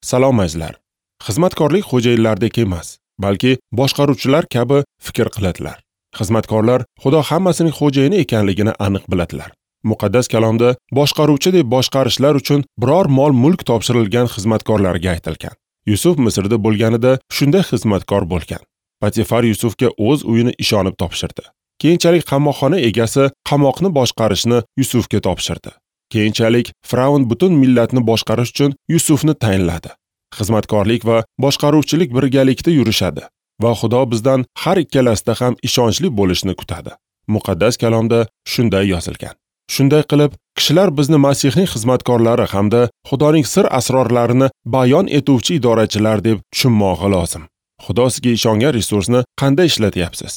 Salom azizlar. Xizmatkorlik xo'jayinlardek emas, balki boshqaruvchilar kabi fikr qiladilar. Xizmatkorlar Xudo hammasining xo'jayini ekanligini aniq biladilar. Muqaddas kalomda boshqaruvchi deb boshqarishlar uchun biror mol-mulk topshirilgan xizmatkorlarga aytilgan. Yusuf Misrda bo'lganida shunday xizmatkor bo'lgan. Potifar Yusufga o'z uyini ishonib topshirdi. Keyinchalik qamoqxona egasi qamoqni boshqarishni Yusufga topshirdi. Keyinchalik Firavn butun millatni boshqarish uchun Yusufni tayinladi. Xizmatkorlik va boshqaruvchilik birgalikda yurishadi va Xudo bizdan har ikkalasida ham ishonchli bo'lishni kutadi. Muqaddas kalomda shunday yozilgan. Shunday qilib, kishilar bizni Masihning xizmatkorlari hamda Xudoning sir asrorlarini bayon etuvchi idorachilar deb tushunmog'i lozim. Xudo sizga ishongan resursni qanday ishlatyapsiz?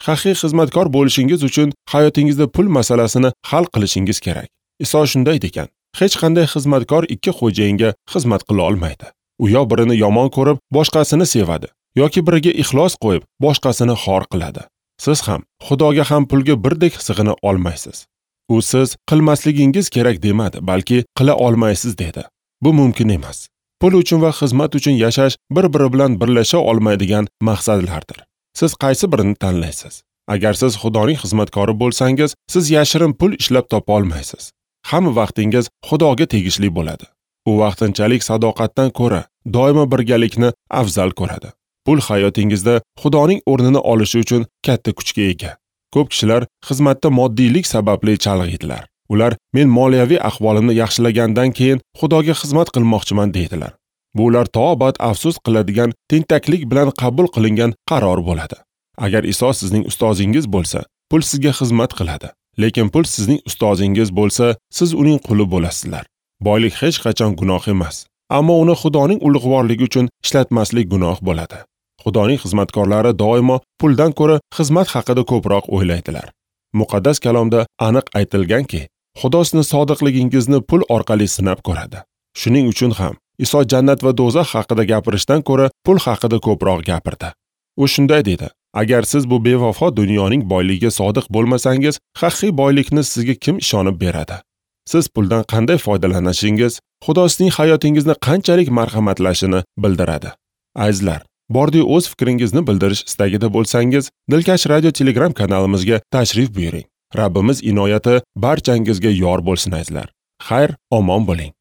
Haqiqiy xizmatkor bo'lishingiz uchun hayotingizda pul masalasini hal qilishingiz kerak. Iso shunday degan: hech qanday xizmatkor ikki xo'jayinga xizmat qila olmaydi. U yo birini yomon ko'rib, boshqasini sevadi, yoki biriga ixlos qo'yib, boshqasini xor qiladi. Siz ham Xudoga ham pulga birdek sig'ina olmaysiz. U siz qilmasligingiz kerak demadi, balki qila olmaysiz dedi. Bu mumkin emas. Pul uchun va xizmat uchun yashash bir-biri bilan birlasha olmaydigan maqsadlardir. Siz qaysi birini tanlaysiz? Agar siz Xudoning xizmatkori bo'lsangiz, siz yashirin pul ishlab topa olmaysiz. Hamma vaqtingiz Xudoga tegishli bo'ladi. U vaqtinchalik sadoqatdan ko'ra doimo birgalikni afzal ko'radi. Pul hayotingizda Xudoning o'rnini olishi uchun katta kuchga ega. Ko'p kishilar xizmatda moddiylik sababli chalg'iydilar. Ular men moliyaviy ahvolimni yaxshilagandan keyin Xudoga xizmat qilmoqchiman deydilar. Bu ular to abad afsus qiladigan tentaklik bilan qabul qilingan qaror bo'ladi. Agar Iso sizning ustozingiz bo'lsa, pul sizga xizmat qiladi. Lekin pul sizning ustozingiz bo'lsa, siz uning quli bo'lasizlar. Boylik hech qachon gunoh emas, ammo uni Xudoning ulug'vorligi uchun ishlatmaslik gunoh bo'ladi. Xudoning xizmatkorlari doimo puldan ko'ra xizmat haqida ko'proq o'ylaydilar. Muqaddas kalomda aniq aytilganki, Xudo sizni sodiqligingizni pul orqali sinab ko'radi. Shuning uchun ham Iso jannat va do'zax haqida gapirishdan ko'ra pul haqida ko'proq gapirdi. U shunday dedi: agar siz bu bevafo dunyoning boyligiga sodiq bo'lmasangiz, haqiqiy boylikni sizga kim ishonib beradi? Siz puldan qanday foydalanishingiz Xudo sizning hayotingizni qanchalik marhamatlashini bildiradi. Azizlar, bordi o'z fikringizni bildirish istagida bo'lsangiz, Dilkash Radio Telegram kanalimizga tashrif buyuring. Rabbimiz inoyati barchangizga yor bo'lsin azizlar. Xayr, omon bo'ling.